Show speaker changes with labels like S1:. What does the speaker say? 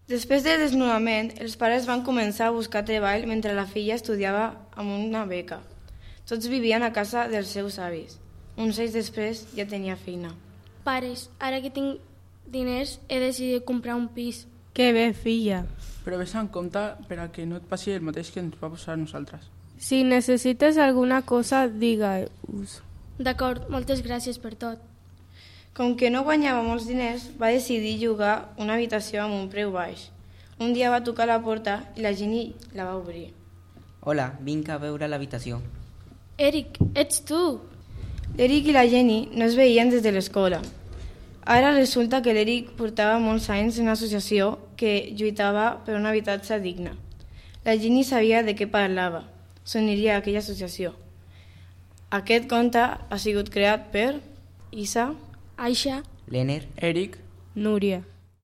S1: Després del desnonament, els pares van començar a buscar treball mentre la filla estudiava amb una beca. Tots vivien a casa dels seus avis. Uns anys després ja tenia feina.
S2: Pares, ara que tinc diners he decidit comprar un pis.
S3: Que bé, filla.
S4: Però vés en compte per a que no et passi el mateix que ens va passar a nosaltres.
S3: Si necessites alguna cosa, digue-us.
S2: D'acord, moltes gràcies per tot.
S1: Com que no guanyava molts diners, va decidir llogar una habitació amb un preu baix. Un dia va tocar la porta i la Jenny la va obrir.
S5: Hola, vinc a veure l'habitació.
S2: Eric, ets tu?
S1: L'Eric i la Jenny no es veien des de l'escola. Ara resulta que l'Eric portava molts anys en una associació que lluitava per un habitatge digne. La Jenny sabia de què parlava. S'uniria a aquella associació. Aquest conte ha sigut creat per Isa,
S2: Aisha,
S5: Lener,
S4: Eric,
S3: Núria.